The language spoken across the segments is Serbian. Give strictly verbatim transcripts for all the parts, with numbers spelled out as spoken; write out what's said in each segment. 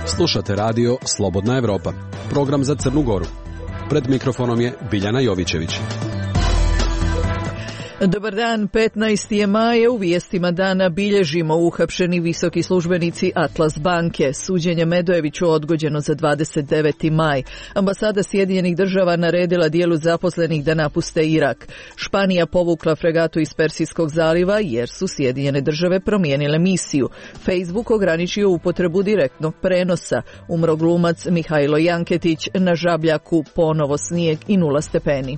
Slušate radio Slobodna Evropa, program za Crnu Goru. Pred mikrofonom je Biljana Jovićević. Dobar dan, petnaesti je maj, u vijestima dana bilježimo uhapšeni visoki službenici Atlas banke. Suđenje Medojeviću odgođeno za dvadeset deveti maj. Ambasada Sjedinjenih država naredila dijelu zaposlenih da napuste Irak. Španija povukla fregatu iz Persijskog zaliva jer su Sjedinjene države promijenile misiju. Facebook ograničio upotrebu direktnog prenosa. Umro glumac Mihajlo Janketić, na Žabljaku ponovo snijeg i nula stepeni.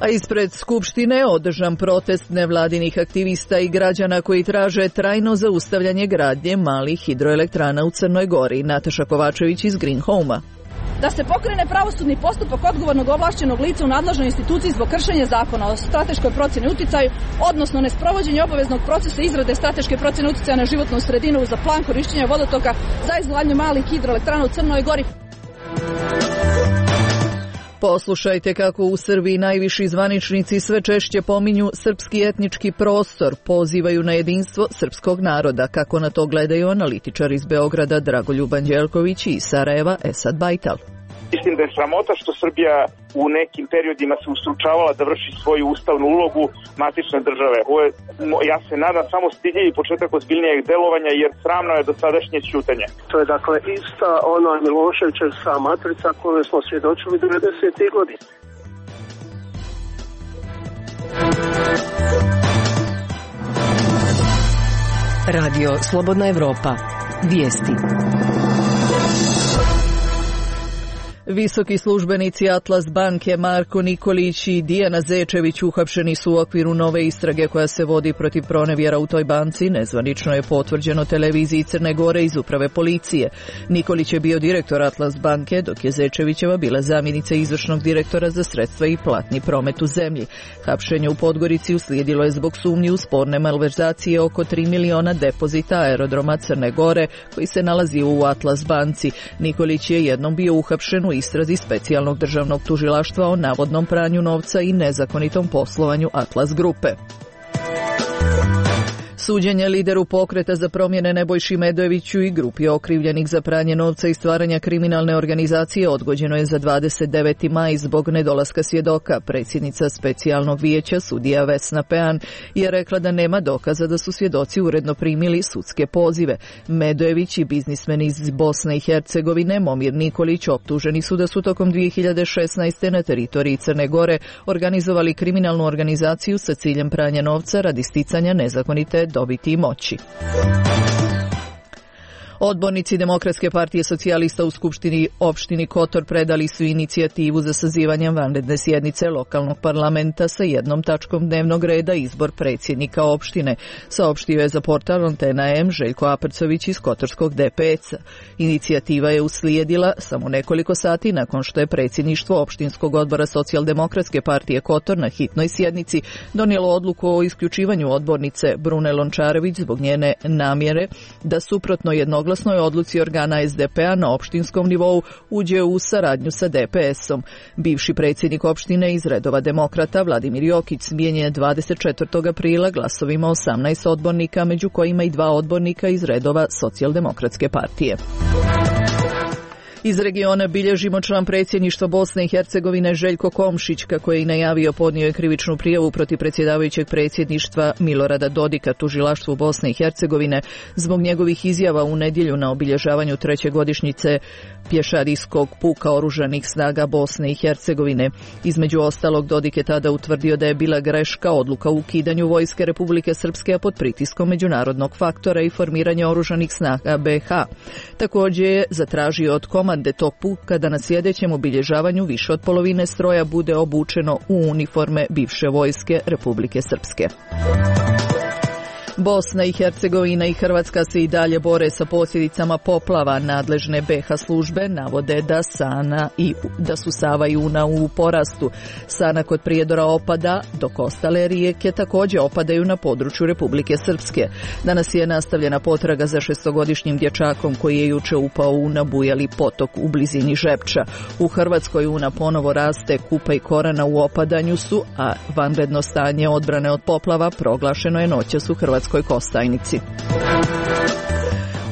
A ispred Skupštine održan protest nevladinih aktivista i građana koji traže trajno zaustavljanje gradnje malih hidroelektrana u Crnoj Gori. Nataša Kovačević iz Green Home-a. Da se pokrene pravosudni postupak odgovornog ovlašćenog lica u nadležnoj instituciji zbog kršenja zakona o strateškoj procjeni uticaju, odnosno nesprovođenje obaveznog procesa izrade strateške procjene uticaja na životnu sredinu za plan korišćenja vodotoka za izgradnju malih hidroelektrana u Crnoj Gori. Poslušajte kako u Srbiji najviši zvaničnici sve češće pominju srpski etnički prostor, pozivaju na jedinstvo srpskog naroda, kako na to gledaju analitičar iz Beograda Dragoljub Anđelković i iz Sarajeva Esad Bajtal. Mislim da je sramota što Srbija u nekim periodima se ustručavala da vrši svoju ustavnu ulogu matične države. Ovo je, ja se nadam, samo stidljivi početak ozbiljnijeg delovanja, jer sramno je dosadašnje ćutanje. To je dakle ista ona Miloševićevska matrica koju smo svjedočili devedesetih godina. Radio Slobodna Evropa. Vijesti. Visoki službenici Atlas banke Marko Nikolić i Dijana Zečević uhapšeni su u okviru nove istrage koja se vodi protiv pronevjera u toj banci. Nezvanično je potvrđeno televiziji Crne Gore iz uprave policije. Nikolić je bio direktor Atlas banke, dok je Zečevićeva bila zamjenica izvršnog direktora za sredstva i platni promet u zemlji. Hapšenje u Podgorici uslijedilo je zbog sumnji u sporne malverzacije oko tri miliona depozita aerodroma Crne Gore koji se nalazi u Atlas banci. Nikolić je jednom bio uhapšen u istrazi specijalnog državnog tužilaštva o navodnom pranju novca i nezakonitom poslovanju Atlas grupe. Suđenje lideru pokreta za promjene Nebojši Medojeviću i grupi okrivljenih za pranje novca i stvaranja kriminalne organizacije odgođeno je za dvadeset deveti maj zbog nedolaska svjedoka. Predsjednica specijalnog vijeća, sudija Vesna Pean, je rekla da nema dokaza da su svjedoci uredno primili sudske pozive. Medojević i biznismen iz Bosne i Hercegovine Momir Nikolić optuženi su da su tokom dvije hiljade šesnaeste. na teritoriji Crne Gore organizovali kriminalnu organizaciju sa ciljem pranja novca radi sticanja nezakonite dobiti i moći. Odbornici Demokratske partije socijalista u Skupštini opštini Kotor predali su inicijativu za sazivanje vanredne sjednice lokalnog parlamenta sa jednom tačkom dnevnog reda izbor predsjednika opštine, saopštio je za portal Antena M Željko Aprcović iz Kotorskog D P S-a. Inicijativa je uslijedila samo nekoliko sati nakon što je predsjedništvo opštinskog odbora Socijaldemokratske partije Kotor na hitnoj sjednici donijelo odluku o isključivanju odbornice Brune Lončarević zbog njene namjere da suprotno jednoglasnoj odluci organa S D P-a na opštinskom nivou uđe u saradnju sa D P S-om. Bivši predsjednik opštine iz redova demokrata Vladimir Jokić smijenjen je dvadeset četvrtog aprila glasovima osamnaest odbornika, među kojima i dva odbornika iz redova Socijaldemokratske partije. Iz regiona bilježimo član predsjedništva Bosne i Hercegovine Željko Komšić, kako je i najavio, podnio je krivičnu prijavu protiv predsjedavajućeg predsjedništva Milorada Dodika tužilaštvu Bosne i Hercegovine zbog njegovih izjava u nedjelju na obilježavanju treće godišnjice pješadijskog puka oružanih snaga Bosne i Hercegovine. Između ostalog, Dodik je tada utvrdio da je bila greška odluka o ukidanju vojske Republike Srpske pod pritiskom međunarodnog faktora i formiranja oružanih snaga B iH. Također je zatražio od komande tog puka da na sljedećem obilježavanju više od polovine stroja bude obučeno u uniforme bivše vojske Republike Srpske. Bosna i Hercegovina i Hrvatska se i dalje bore sa posljedicama poplava. Nadležne be ha službe navode da Sana i da su Sava i Una u porastu. Sana kod Prijedora opada, dok ostale rijeke također opadaju na području Republike Srpske. Danas je nastavljena potraga za šestogodišnjim dječakom koji je juče upao u nabujali potok u blizini Žepča. U Hrvatskoj Una ponovo raste, Kupa i Korana u opadanju su, a vanredno stanje odbrane od poplava proglašeno je noćas u Hrvatskoj Kostajnici.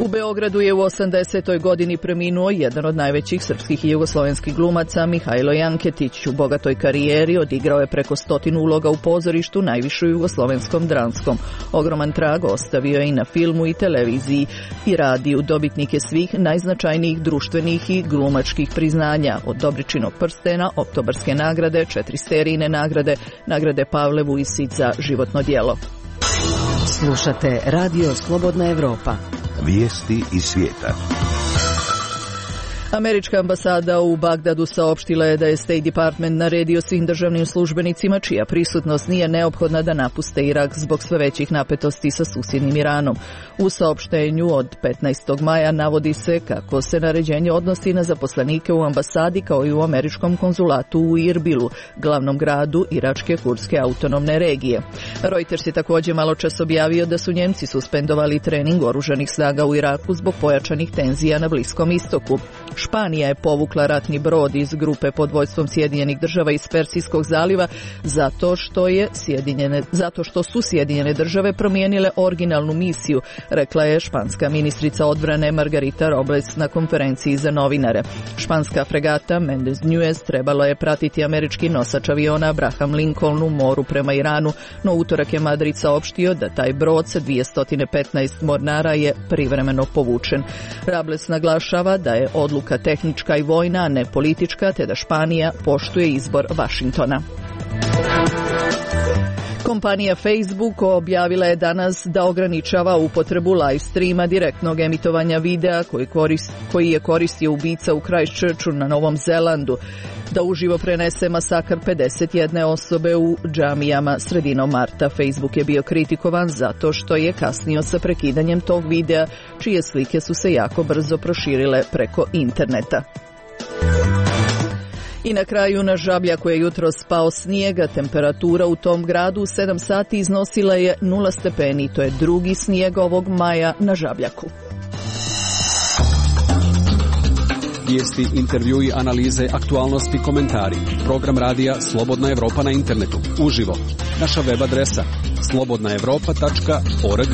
U Beogradu je u osamdesetoj godini preminuo jedan od najvećih srpskih i jugoslovenskih glumaca, Mihajlo Janketić. U bogatoj karijeri odigrao je preko stotinu uloga u pozorištu, najviše u jugoslovenskom dramskom. Ogroman trag ostavio je i na filmu i televiziji i radiju. Dobitnik je svih najznačajnijih društvenih i glumačkih priznanja, od Dobričinog prstena, Oktobarske nagrade, četiri Sterijine nagrade, nagrade Pavle Vujisić za životno djelo. Slušate Radio Slobodna Evropa. Vijesti iz svijeta. Američka ambasada u Bagdadu saopštila je da je State Department naredio svim državnim službenicima čija prisutnost nije neophodna da napuste Irak zbog sve većih napetosti sa susjednim Iranom. U saopštenju od petnaestog maja navodi se kako se naređenje odnosi na zaposlenike u ambasadi kao i u američkom konzulatu u Irbilu, glavnom gradu iračke kurdske autonomne regije. Reuters je također malo čas objavio da su Njemci suspendovali trening oružanih snaga u Iraku zbog pojačanih tenzija na Bliskom istoku. Španija je povukla ratni brod iz grupe pod vodstvom Sjedinjenih država iz Persijskog zaliva zato što, je Sjedinjene, zato što su Sjedinjene države promijenile originalnu misiju, rekla je španska ministrica odbrane Margarita Robles na konferenciji za novinare. Španska fregata Mendez Nuez trebalo je pratiti američki nosač aviona Abraham Lincoln u moru prema Iranu, no utorak je Madrid saopštio da taj brod sa dvjesto petnaest mornara je privremeno povučen. Robles naglašava da je odluka tehnička i vojna, a ne politička, te da Španija poštuje izbor Vašingtona. Kompanija Facebook objavila je danas da ograničava upotrebu live streama direktnog emitovanja videa koji, korist, koji je koristio ubica u Christchurchu na Novom Zelandu, da uživo prenese masakr pedeset jedne osobe u džamijama sredinom marta. Facebook je bio kritikovan zato što je kasnio sa prekidanjem tog videa, čije slike su se jako brzo proširile preko interneta. I na kraju na Žabljaku je jutros spao snijega. Temperatura u tom gradu u sedam sati iznosila je nula stepeni. To je drugi snijeg ovog maja na Žabljaku. Vijesti, intervjui, analize, aktualnosti, komentari. Program radija Slobodna Evropa na internetu. Uživo. Naša web adresa slobodna evropa tačka org.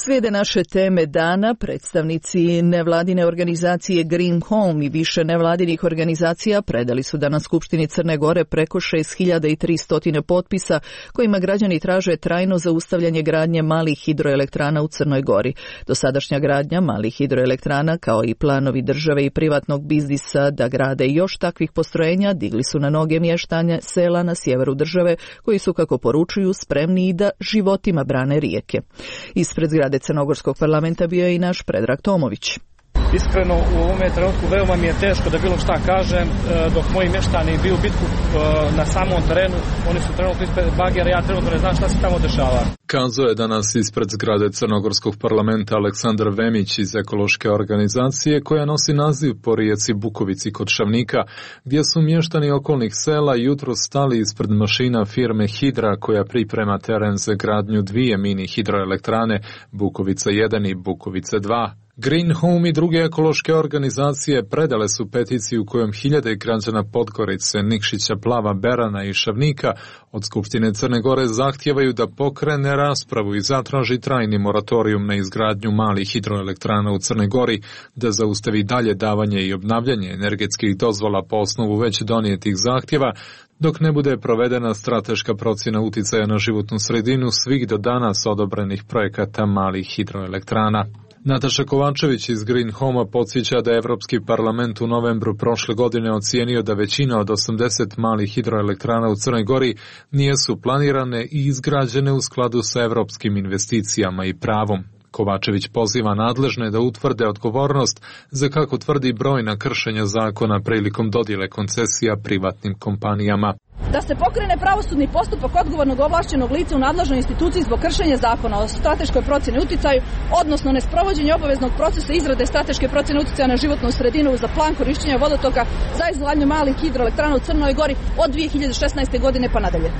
Slijede naše teme dana. Predstavnici nevladine organizacije Green Home i više nevladinih organizacija predali su danas Skupštini Crne Gore preko šest hiljada tristo potpisa kojima građani traže trajno zaustavljanje gradnje malih hidroelektrana u Crnoj Gori. Dosadašnja gradnja malih hidroelektrana kao i planovi države i privatnog biznisa da grade još takvih postrojenja digli su na noge mještanje sela na sjeveru države koji su, kako poručuju, spremni i da životima brane rijeke. Ispred zgrade Crnogorskog parlamenta bio je i naš Predrag Tomović. Iskreno, u ovome trenutku veoma mi je teško da bilo šta kažem, dok moji mještani biju bitku na samom terenu, oni su trenutno ispred bagera, ja trenutno ne znam šta se tamo dešava. Kazao je danas ispred zgrade Crnogorskog parlamenta Aleksandar Vemić iz ekološke organizacije koja nosi naziv po rijeci Bukovici kod Šavnika, gdje su mještani okolnih sela jutro stali ispred mašina firme Hidra koja priprema teren za gradnju dvije mini hidroelektrane, Bukovica jedan i Bukovica dva. Green Home i druge ekološke organizacije predale su peticiju kojom hiljade građana Podgorice, Nikšića, Plava, Berana i Šavnika od Skupštine Crne Gore zahtijevaju da pokrene raspravu i zatraži trajni moratorijum na izgradnju malih hidroelektrana u Crnoj Gori, da zaustavi dalje davanje i obnavljanje energetskih dozvola po osnovu već donijetih zahtjeva, dok ne bude provedena strateška procjena uticaja na životnu sredinu svih do danas odobrenih projekata malih hidroelektrana. Nataša Kovačević iz Green Home-a podsjeća da je Evropski parlament u novembru prošle godine ocijenio da većina od osamdeset malih hidroelektrana u Crnoj Gori nijesu planirane i izgrađene u skladu sa evropskim investicijama i pravom. Kovačević poziva nadležne da utvrde odgovornost za, kako tvrdi, brojna kršenja zakona prilikom dodjele koncesija privatnim kompanijama. Da se pokrene pravosudni postupak odgovornog ovlašćenog lica u nadležnoj instituciji zbog kršenja zakona o strateškoj procjeni uticaju, odnosno nesprovođenje obaveznog procesa izrade strateške procjene uticaja na životnu sredinu za plan korišćenja vodotoka za izgradnju malih hidroelektrana u Crnoj Gori od dvije hiljade šesnaeste. godine pa nadalje.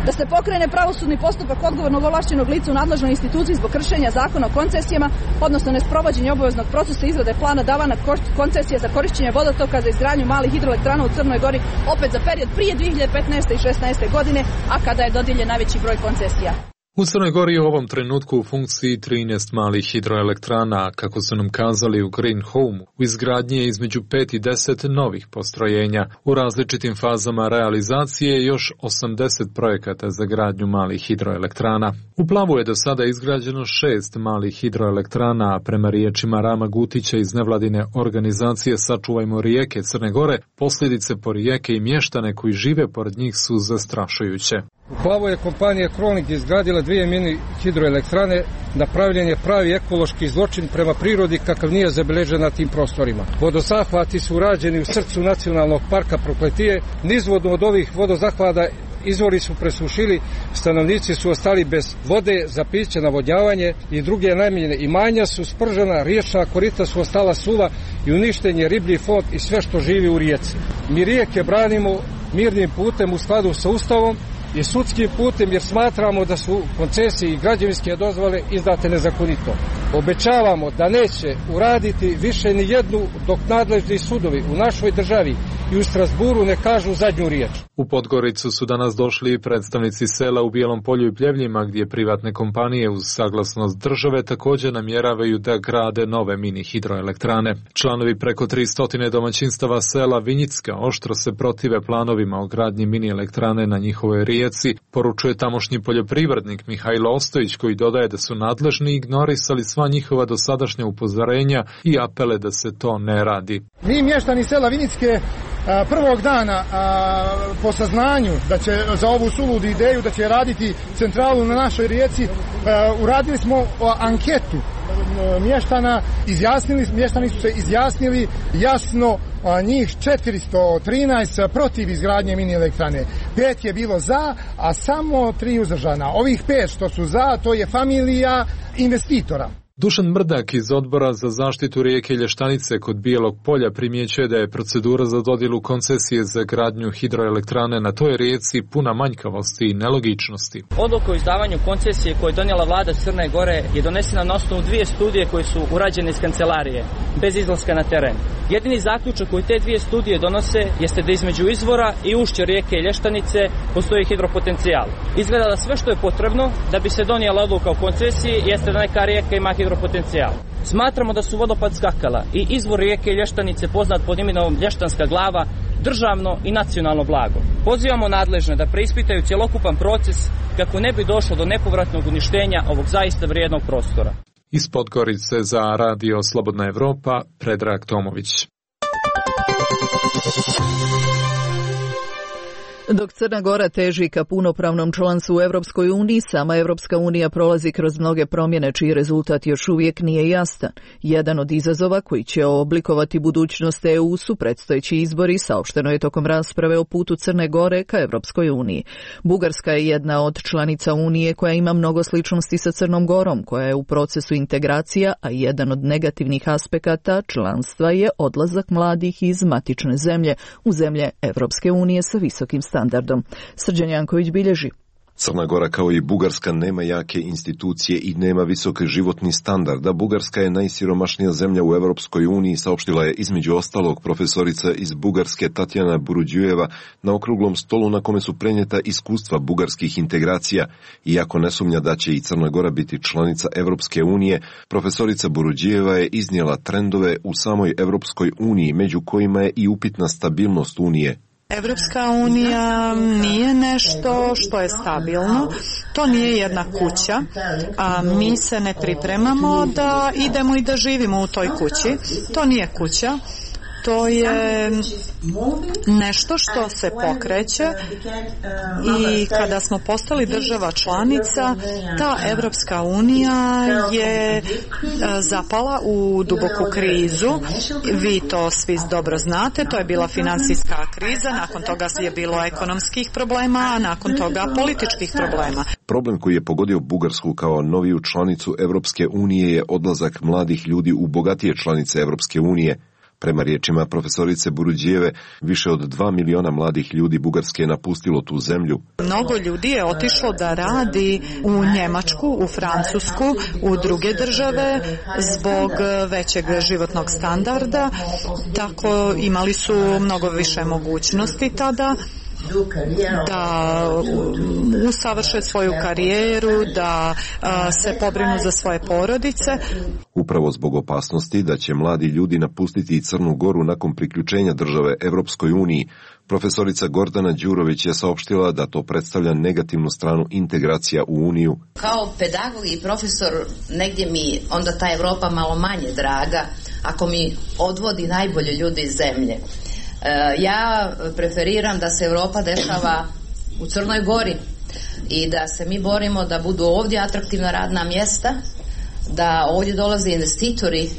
Da se pokrene pravosudni postupak odgovornog ovlašćenog lica u nadležnoj instituciji zbog kršenja zakona o koncesijama, odnosno nesprovođenje obaveznog procesa izrade plana davana koncesije za korišćenje vodotoka za izgradnju malih hidroelektrana u Crnoj Gori, opet za period prije dvije hiljade petnaeste. i šesnaeste. godine, a kada je dodijeljen najveći broj koncesija. U Crnoj Gori je u ovom trenutku u funkciji trinaest malih hidroelektrana, kako su nam kazali u Green Home. U izgradnji je između pet i deset novih postrojenja. U različitim fazama realizacije je još osamdeset projekata za gradnju malih hidroelektrana. U Plavu je do sada izgrađeno šest malih hidroelektrana, a prema riječima Rama Gutića iz nevladine organizacije Sačuvajmo rijeke Crne Gore, posljedice po rijeke i mještane koji žive pored njih su zastrašujuće. U Plavoj je kompanija Kronik izgradila dvije mini hidroelektrane, napravljen je pravi ekološki zločin prema prirodi kakav nije zabeležen na tim prostorima. Vodozahvati su urađeni u srcu nacionalnog parka Prokletije, nizvodno od ovih vodozahvata izvori su presušili, stanovnici su ostali bez vode za piće, navodnjavanje i druge namjene. Imanja su spržena, riječna korita su ostala suva i uništen je riblji fond i sve što živi u rijeci. Mi rijeke branimo mirnim putem u skladu sa Ustavom i sudskim putem jer smatramo da su koncesije i građevinske dozvole izdate nezakonito. Obećavamo da neće uraditi više ni jednu dok nadležni sudovi u našoj državi i u Strasburu ne kažu zadnju riječ. U Podgoricu su danas došli predstavnici sela u Bijelom Polju i Pljevljima, gdje privatne kompanije uz saglasnost države također namjeravaju da grade nove mini hidroelektrane. Članovi preko tristo domaćinstava sela Vinjicka oštro se protive planovima o gradnji mini elektrane na njihovoj rijeci, poručuje tamošnji poljoprivrednik Mihajlo Ostojić, koji dodaje da su nadležni ignorisali sva njihova dosadašnja upozorenja i apele da se to ne radi. Mi mještani sela Vinjicke prvog dana a, po saznanju da će za ovu suludu ideju da će raditi centralu na našoj rijeci, a, uradili smo a, anketu a, mještana, izjasnili, mještani su se izjasnili jasno, a, njih četiristo trinaest protiv izgradnje mini elektrane, pet je bilo za, a samo tri uzdržana. Ovih pet što su za, to je familija investitora. Dušan Mrdak iz Odbora za zaštitu rijeke Lještanice kod Bijelog Polja primjećuje da je procedura za dodjelu koncesije za gradnju hidroelektrane na toj rijeci puna manjkavosti i nelogičnosti. Odluka o izdavanju koncesije koju je donijela vlada Crne Gore je donesena na osnovu dvije studije koje su urađene iz kancelarije, bez izlaska na teren. Jedini zaključak koji te dvije studije donose jeste da između izvora i ušća rijeke Lještanice postoji hidropotencijal. Izgleda da sve što je potrebno da bi se donijela odluka o koncesiji jeste da neka rijeka ima hidropotencijal. Smatramo da su vodopad Skakala i izvor rijeke Lještanice, poznat pod imenom Lještanska glava, državno i nacionalno blago. Pozivamo nadležne da preispitaju cjelokupan proces kako ne bi došlo do nepovratnog uništenja ovog zaista vrijednog prostora. Iz Podgorice za Radio Slobodna Evropa, Predrag Tomović. Dok Crna Gora teži ka punopravnom članstvu u Europskoj uniji, sama Europska unija prolazi kroz mnoge promjene čiji rezultat još uvijek nije jasan. Jedan od izazova koji će oblikovati budućnost E U su predstojeći izbori, saopšteno je tokom rasprave o putu Crne Gore ka Europskoj uniji. Bugarska je jedna od članica Unije koja ima mnogo sličnosti sa Crnom Gorom, koja je u procesu integracija, a jedan od negativnih aspekata članstva je odlazak mladih iz matične zemlje u zemlje Europske unije sa visokim standardom. Srđan Janković bilježi. Crna Gora kao i Bugarska nema jake institucije i nema visok životni standard, a Bugarska je najsiromašnija zemlja u Europskoj uniji, saopštila je između ostalog profesorica iz Bugarske Tatjana Buruđujeva na okruglom stolu na kome su prenijeta iskustva bugarskih integracija. Iako ne sumnja da će i Crna Gora biti članica Europske unije, profesorica Buruđujeva je iznijela trendove u samoj Europskoj uniji, među kojima je i upitna stabilnost unije. Evropska unija nije nešto što je stabilno, to nije jedna kuća, a mi se ne pripremamo da idemo i da živimo u toj kući, to nije kuća. to je nešto što se pokreće i kada smo postali država članica, ta Evropska unija je zapala u duboku krizu. Vi to svi dobro znate, to je bila finansijska kriza, nakon toga je bilo ekonomskih problema, a nakon toga političkih problema. Problem koji je pogodio Bugarsku kao noviju članicu Evropske unije je odlazak mladih ljudi u bogatije članice Evropske unije. Prema riječima profesorice Buruđijeve, više od dva miliona mladih ljudi Bugarske je napustilo tu zemlju. Mnogo ljudi je otišlo da radi u Njemačku, u Francusku, u druge države zbog većeg životnog standarda, tako imali su mnogo više mogućnosti tada da usavrše svoju karijeru, da se pobrinu za svoje porodice. Upravo zbog opasnosti da će mladi ljudi napustiti Crnu Goru nakon priključenja države Evropskoj uniji, profesorica Gordana Đurović je saopštila da to predstavlja negativnu stranu integracija u Uniju. Kao pedagog i profesor negdje mi onda ta Evropa malo manje draga ako mi odvodi najbolje ljude iz zemlje. Ja preferiram da se Evropa dešava u Crnoj Gori i da se mi borimo da budu ovdje atraktivna radna mjesta, da ovdje dolaze investitori,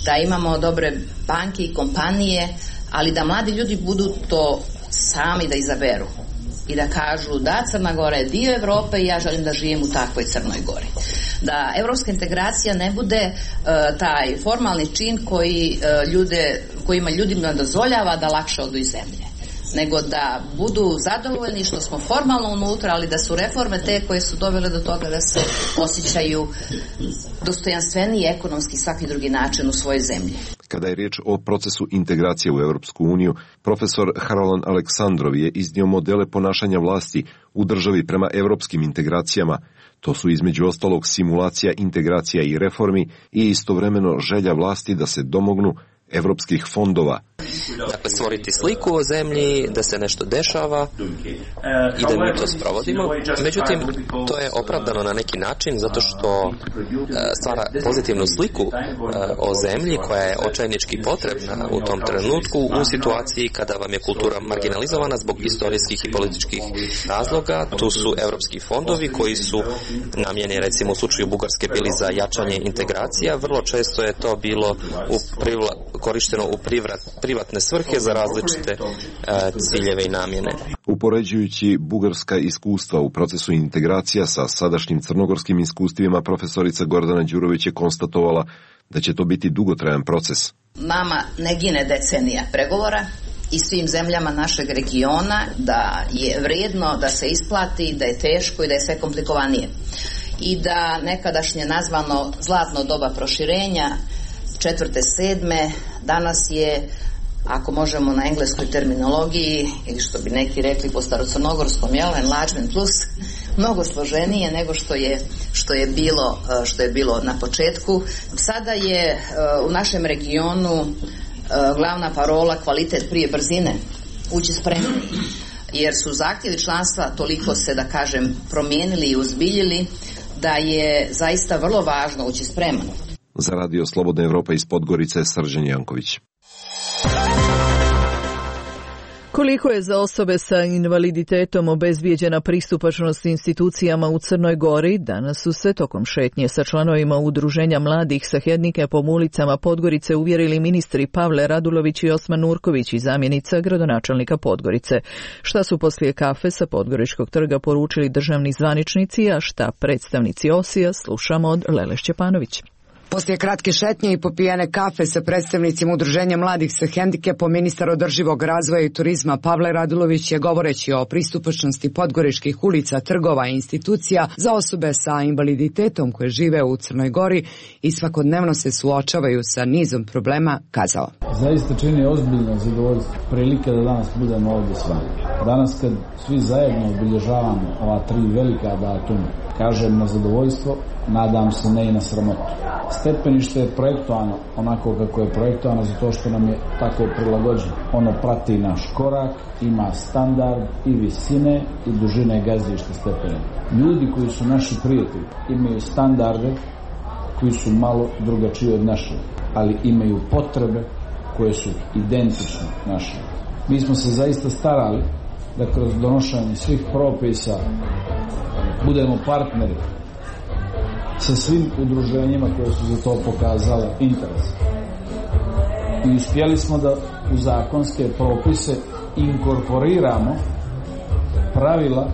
da imamo dobre banke i kompanije, ali da mladi ljudi budu to sami da izaberu i da kažu da Crna Gora je dio Evrope i ja želim da živim u takvoj Crnoj Gori. Da evropska integracija ne bude uh, taj formalni čin koji, uh, ljude, kojima ljudima dozvoljava da lakše odu iz zemlje, nego da budu zadovoljni što smo formalno unutra, ali da su reforme te koje su dovele do toga da se osjećaju dostojanstveniji ekonomski i svaki drugi način u svojoj zemlji. Kada je riječ o procesu integracije u Europsku uniju, profesor Harolan Aleksandrov je iznio modele ponašanja vlasti u državi prema europskim integracijama. To su između ostalog simulacija integracija i reformi i istovremeno želja vlasti da se domognu evropskih fondova. Dakle, stvoriti sliku o zemlji, da se nešto dešava i da mi to sprovodimo. Međutim, to je opravdano na neki način zato što stvara pozitivnu sliku o zemlji koja je očajnički potrebna u tom trenutku u situaciji kada vam je kultura marginalizovana zbog istorijskih i političkih razloga. Tu su evropski fondovi koji su namjeni, recimo u slučaju Bugarske, bili za jačanje integracija. Vrlo često je to bilo u privla, korišteno u privrat, privatne svrhe za različite uh, ciljeve i namjene. Upoređujući bugarska iskustva u procesu integracija sa sadašnjim crnogorskim iskustvima, profesorica Gordana Đurović je konstatovala da će to biti dugotrajan proces. Nama ne gine decenija pregovora i svim zemljama našeg regiona da je vrijedno da se isplati, da je teško i da je sve komplikovanije. I da nekadašnje nazvano zlatno doba proširenja četvrte, sedme, danas je, ako možemo na engleskoj terminologiji, ili što bi neki rekli po starocrnogorskom, jel, enlargement plus, mnogo složenije nego što je, što je bilo, što je bilo na početku. Sada je u našem regionu glavna parola kvalitet prije brzine, ući spremni, jer su zahtjevi članstva toliko se, da kažem, promijenili i uzbiljili da je zaista vrlo važno ući spreman. Za Radio Slobodna Evropa iz Podgorice, Srđan Janković. Koliko je za osobe sa invaliditetom obezbijeđena pristupačnost institucijama u Crnoj Gori, danas su se tokom šetnje sa članovima Udruženja mladih sa hendikepom ulicama Podgorice uvjerili ministri Pavle Radulović i Osman Nurković i zamjenica gradonačelnika Podgorice. Šta su poslije kafe sa Podgoričkog trga poručili državni zvaničnici, a šta predstavnici Osija, slušamo od Lele Šćepanović. Poslije kratke šetnje i popijene kafe sa predstavnicima Udruženja mladih sa hendikepom, ministar održivog razvoja i turizma Pavle Radulović je, govoreći o pristupačnosti podgoričkih ulica, trgova i institucija za osobe sa invaliditetom koje žive u Crnoj Gori i svakodnevno se suočavaju sa nizom problema, kazao. Zaista čini ozbiljno zadovoljstvo prilike da danas budemo ovdje s vama. Danas kad svi zajedno obilježavamo ova tri velika datuma, kažem na zadovoljstvo, nadam se ne i na sramotu. Stepenište je projektovano onako kako je projektovano zato što nam je tako prilagođeno. Ono prati naš korak, ima standard i visine i dužine gazišta stepena. Ljudi koji su naši prijatelji imaju standarde koji su malo drugačiji od naših, ali imaju potrebe koje su identične našim. Mi smo se zaista starali da kroz donošenje svih propisa budemo partneri sa svim udruženjima koje su za to pokazale interes. I uspjeli smo da u zakonske propise inkorporiramo pravila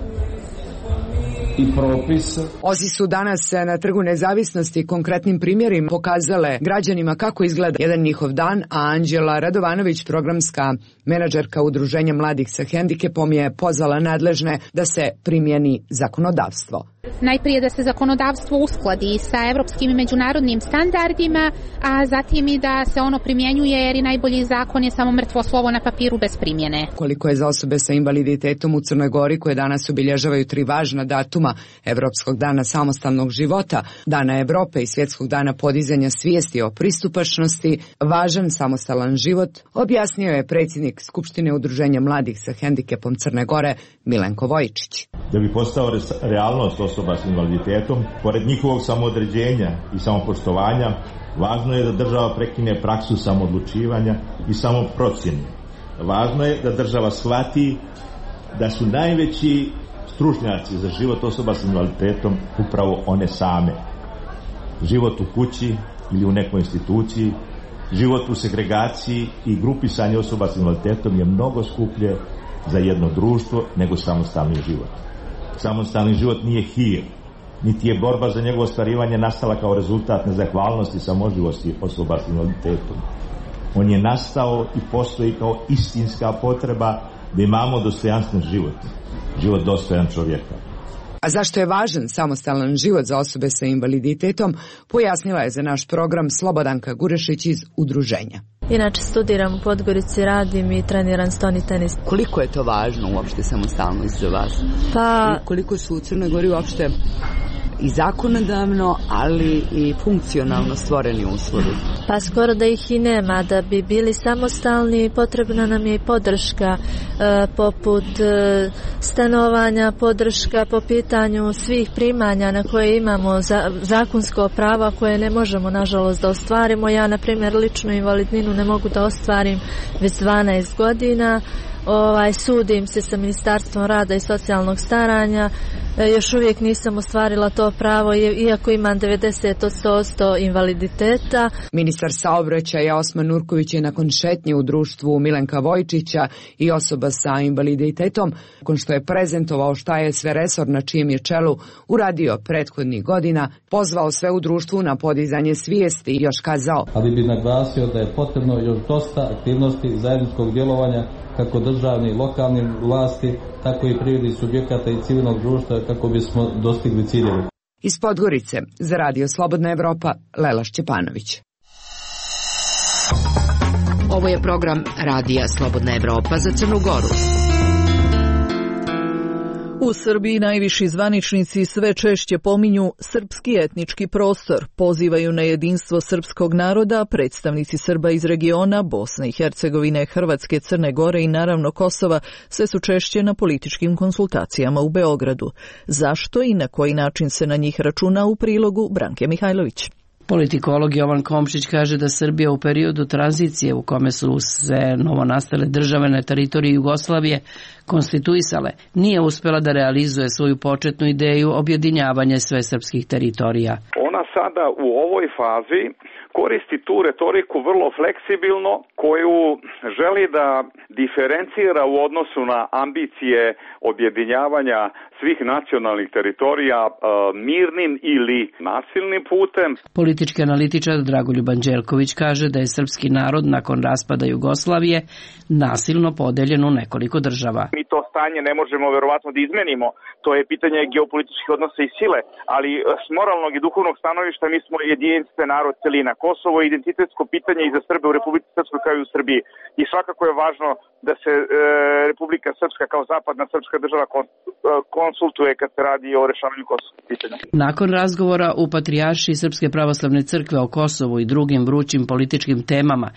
i propise. Ozi su danas na Trgu Nezavisnosti konkretnim primjerima pokazale građanima kako izgleda jedan njihov dan, a Anđela Radovanović, programska menadžerka Udruženja mladih sa hendikepom, je pozvala nadležne da se primjeni zakonodavstvo. Najprije da se zakonodavstvo uskladi sa evropskim i međunarodnim standardima, a zatim i da se ono primjenjuje, jer i najbolji zakon je samo mrtvo slovo na papiru bez primjene. Koliko je za osobe sa invaliditetom u Crnoj Gori, koje danas obilježavaju tri važna datuma: Evropskog dana samostalnog života, Dana Evrope i Svjetskog dana podizanja svijesti o pristupačnosti, važan samostalan život, objasnio je predsjednik Skupštine Udruženja mladih sa hendikepom Crne Gore Milenko Vojčić. Da bi postao realnost osoba s invaliditetom, pored njihovog samoodređenja i samopoštovanja, važno je da država prekine praksu samoodlučivanja i samoprocjene. Važno je da država shvati da su najveći stručnjaci za život osoba s invaliditetom upravo one same. Život u kući ili u nekoj instituciji, život u segregaciji i grupisanje osoba s invaliditetom je mnogo skuplje za jedno društvo nego samostalni život. Samostalni život nije hir, niti je borba za njegovo ostvarivanje nastala kao rezultat nezahvalnosti i samoživosti osoba s invaliditetom. On je nastao i postoji kao istinska potreba da imamo dostojanstven život, život dostojan čovjeka. A zašto je važan samostalan život za osobe sa invaliditetom, pojasnila je za naš program Slobodanka Gurešić iz Udruženja. Inače studiram u Podgorici, radim i treniram stoni tenis. Koliko je to važno uopšte samostalnost za vas? Pa... I koliko su u Crnoj Gori uopšte i zakonodavno, ali i funkcionalno stvoreni uslovi? Pa skoro da ih i nema. Da bi bili samostalni potrebna nam je i podrška, e, poput e, stanovanja, podrška po pitanju svih primanja na koje imamo za, zakonsko prava koje ne možemo nažalost da ostvarimo. Ja na primjer ličnu invalidninu ne mogu da ostvarim već dvanaest godina. Ovaj, sudim se sa Ministarstvom rada i socijalnog staranja, e, još uvijek nisam ostvarila to pravo, iako imam devedeset posto invaliditeta. Ministar saobraćaja Osman Nurković je nakon šetnje u društvu Milenka Vojčića i osoba sa invaliditetom, nakon što je prezentovao šta je sve resor na čijem je čelu uradio prethodnih godina, pozvao sve u društvu na podizanje svijesti i još kazao: ali bi naglasio da je potrebno još dosta aktivnosti zajedničkog djelovanja kako državni i lokalni vlasti, tako i privrednih subjekata i civilnog društva kako bismo dostigli ciljeve. Iz Podgorice za Radio Slobodna Evropa, Lela Šćepanović. Ovo je program Radija Slobodna Evropa za Crnu Goru. U Srbiji najviši zvaničnici sve češće pominju srpski etnički prostor, pozivaju na jedinstvo srpskog naroda, predstavnici Srba iz regiona, Bosne i Hercegovine, Hrvatske, Crne Gore i naravno Kosova sve su češće na političkim konsultacijama u Beogradu. Zašto i na koji način se na njih računa, u prilogu Branke Mihajlović. Politikolog Jovan Komšić kaže da Srbija u periodu tranzicije u kome su se novonastale države na teritoriji Jugoslavije konstituisale, nije uspjela da realizuje svoju početnu ideju objedinjavanja sve srpskih teritorija. Ona sada u ovoj fazi koristi tu retoriku vrlo fleksibilno, koju želi da diferencira u odnosu na ambicije objedinjavanja svih nacionalnih teritorija e, mirnim ili nasilnim putem. Politički analitičar Dragoljub Anđelković kaže da je srpski narod nakon raspada Jugoslavije nasilno podeljen u nekoliko država. Mi to stanje ne možemo verovatno da izmenimo, to je pitanje geopolitičkih odnosa i sile, ali s moralnog i duhovnog stanovišta mi smo jedinstven narod, celina. Kosovo je identitetsko pitanje i za Srbe u Republici Srpskoj kao i u Srbiji. I svakako je važno da se e, Republika Srpska kao zapadna srpska država konsultuje kad se radi o rešavanju kosovskog pitanja. Nakon razgovora u Patrijaršiji Srpske pravoslavne crkve o Kosovu i drugim vrućim političkim temama,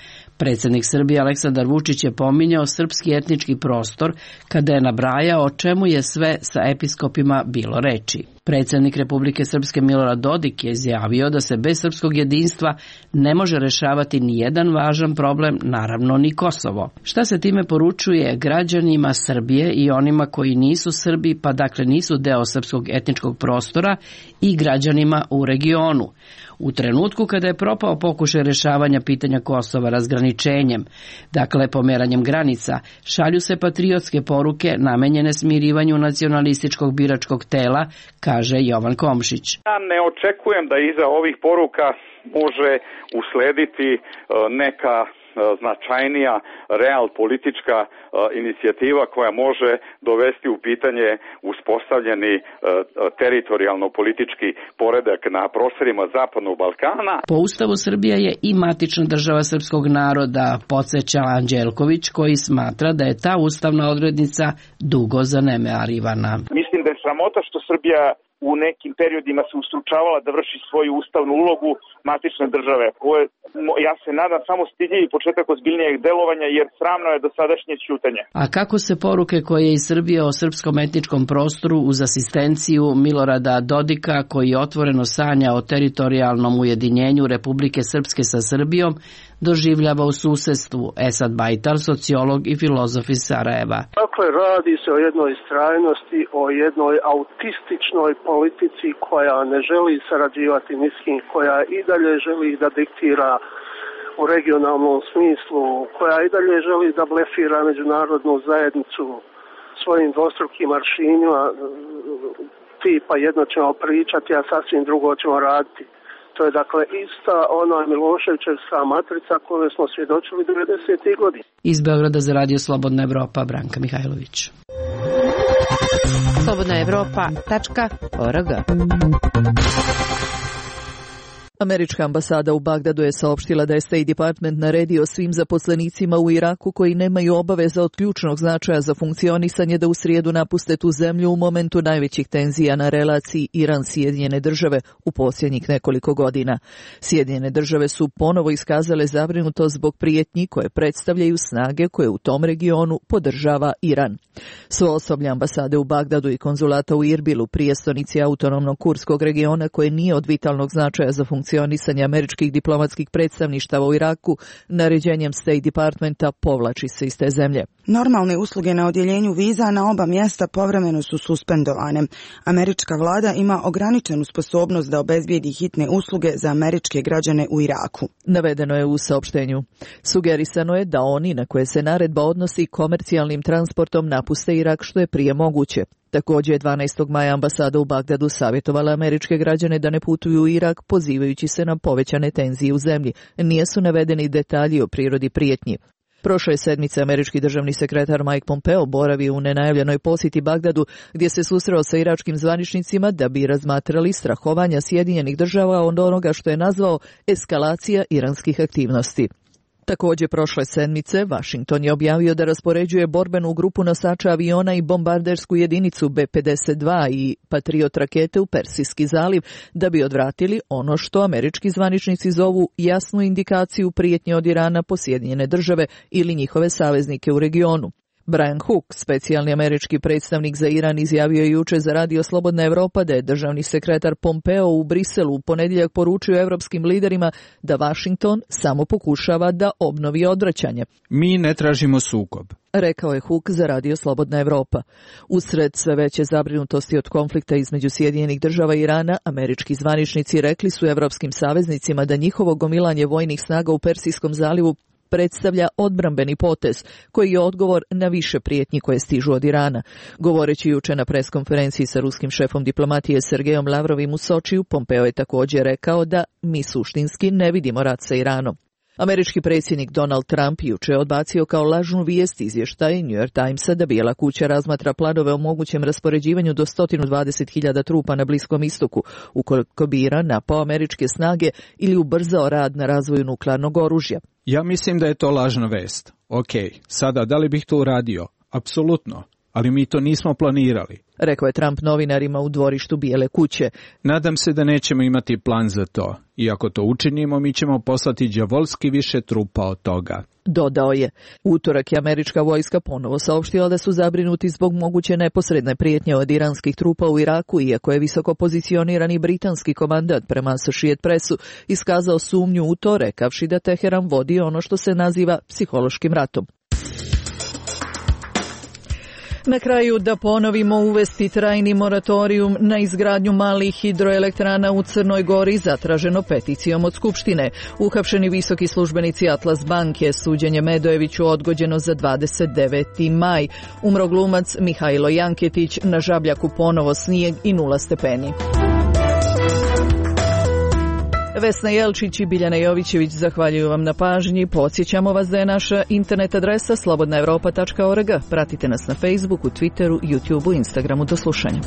predsjednik Srbije Aleksandar Vučić je pominjao srpski etnički prostor kada je nabrajao o čemu je sve sa episkopima bilo reči. Predsjednik Republike Srpske Milorad Dodik je izjavio da se bez srpskog jedinstva ne može rešavati ni jedan važan problem, naravno ni Kosovo. Šta se time poručuje građanima Srbije i onima koji nisu Srbi, pa dakle nisu deo srpskog etničkog prostora, i građanima u regionu? U trenutku kada je propao pokušaj rešavanja pitanja Kosova razgraničenjem, dakle pomeranjem granica, šalju se patriotske poruke namenjene smirivanju nacionalističkog biračkog tela, kaže Jovan Komšić. Ja ne očekujem da iza ovih poruka može uslediti neka značajnija real politička inicijativa koja može dovesti u pitanje uspostavljeni teritorijalno-politički poredak na prostorima Zapadnog Balkana. Po Ustavu Srbija je i matična država srpskog naroda, podsjeća Anđelković, koji smatra da je ta ustavna odrednica dugo zanemarivana. Mislim da je sramota što Srbija u nekim periodima se ustručavala da vrši svoju ustavnu ulogu matične države. Ovo je, ja se nadam, samo stidljivi početak ozbiljnijeg delovanja, jer sramno je dosadašnje ćutanje. A kako se poruke koje iz Srbije o srpskom etničkom prostoru uz asistenciju Milorada Dodika, koji otvoreno sanja o teritorijalnom ujedinjenju Republike Srpske sa Srbijom, doživljava u susedstvu? Esad Bajtar, sociolog i filozof iz Sarajeva. Dakle, radi se o jednoj istrajnosti, o jednoj autističnoj politici koja ne želi sarađivati ni s kim, koja i dalje želi da diktira u regionalnom smislu, koja i dalje želi da blefira međunarodnu zajednicu svojim dvostrukim aršinima, tipa jedno ćemo pričati, a sasvim drugo ćemo raditi. To je dakle ista ona Miloševićevska matrica koju smo svjedočili devedesetih godina. Iz Beograda za Radio Slobodna Evropa, Branka Mihajlović. slobodna evropa tačka org. Američka ambasada u Bagdadu je saopštila da je State Department naredio svim zaposlenicima u Iraku koji nemaju obaveza od ključnog značaja za funkcionisanje da u srijedu napuste tu zemlju u momentu najvećih tenzija na relaciji Iran-Sjedinjene države u posljednjih nekoliko godina. Sjedinjene države su ponovo iskazale zabrinutost zbog prijetnji koje predstavljaju snage koje u tom regionu podržava Iran. Svo osoblje ambasade u Bagdadu i konzulata u Irbilu, prijestolnici autonomnog kurskog regiona koje nije od vitalnog značaja za funkcionisanje funkcionisanje američkih diplomatskih predstavništava u Iraku, naređenjem State Departmenta povlači se iz te zemlje. Normalne usluge na odjeljenju viza na oba mjesta povremeno su suspendovane. Američka vlada ima ograničenu sposobnost da obezbijedi hitne usluge za američke građane u Iraku. Navedeno je u saopštenju. Sugerisano je da oni na koje se naredba odnosi komercijalnim transportom napuste Irak što je prije moguće. Također je dvanaestog maja ambasada u Bagdadu savjetovala američke građane da ne putuju u Irak, pozivajući se na povećane tenzije u zemlji. Nisu navedeni detalji o prirodi prijetnji. Prošle sedmice američki državni sekretar Mike Pompeo boravio u nenajavljenoj posjeti Bagdadu, gdje se susreo sa iračkim zvaničnicima da bi razmatrali strahovanja Sjedinjenih država od onoga što je nazvao eskalacija iranskih aktivnosti. Također prošle sedmice Washington je objavio da raspoređuje borbenu grupu nosača aviona i bombardersku jedinicu B pedeset dva i Patriot rakete u Persijski zaliv da bi odvratili ono što američki zvaničnici zovu jasnu indikaciju prijetnje od Irana po Sjedinjene države ili njihove saveznike u regionu. Brian Hook, specijalni američki predstavnik za Iran, izjavio je jučer za Radio Slobodna Evropa da je državni sekretar Pompeo u Briselu u ponedjeljak poručio evropskim liderima da Washington samo pokušava da obnovi odvraćanje. Mi ne tražimo sukob, rekao je Hook za Radio Slobodna Evropa. Usred sve veće zabrinutosti od konflikta između Sjedinjenih država i Irana, američki zvaničnici rekli su evropskim saveznicima da njihovo gomilanje vojnih snaga u Persijskom zalivu predstavlja odbrambeni potez, koji je odgovor na više prijetnji koje stižu od Irana. Govoreći jučer na preskonferenciji sa ruskim šefom diplomatije Sergejom Lavrovim u Sočiju, Pompeo je također rekao da mi suštinski ne vidimo rat sa Iranom. Američki predsjednik Donald Trump jučer je odbacio kao lažnu vijest izvještaj New York Timesa da Bijela kuća razmatra planove o mogućem raspoređivanju do sto dvadeset hiljada trupa na Bliskom istoku, ukoliko bi Iran napao američke snage ili ubrzao rad na razvoju nuklearnog oružja. Ja mislim da je to lažna vest. Ok, sada da li bih to uradio? Apsolutno, ali mi to nismo planirali, rekao je Trump novinarima u dvorištu Bijele kuće. Nadam se da nećemo imati plan za to. I ako to učinimo, mi ćemo poslati đavolski više trupa od toga. Dodao je. Utorak je američka vojska ponovo saopštila da su zabrinuti zbog moguće neposredne prijetnje od iranskih trupa u Iraku, iako je visoko pozicionirani britanski komandant prema Associated Pressu iskazao sumnju u to, rekavši da Teheran vodi ono što se naziva psihološkim ratom. Na kraju da ponovimo, uvesti trajni moratorijum na izgradnju malih hidroelektrana u Crnoj Gori zatraženo peticijom od Skupštine. Uhapšeni visoki službenici Atlas banke, suđenje Medojeviću odgođeno za dvadeset deveti maj. Umro glumac Mihajlo Janketić, na Žabljaku ponovo snijeg i nula stepeni. Vesna Jelčić i Biljana Jovićević zahvaljuju vam na pažnji. Podsjećamo vas da je naša internet adresa slobodna evropa tačka org. Pratite nas na Facebooku, Twitteru, YouTubeu, Instagramu. Do slušanja.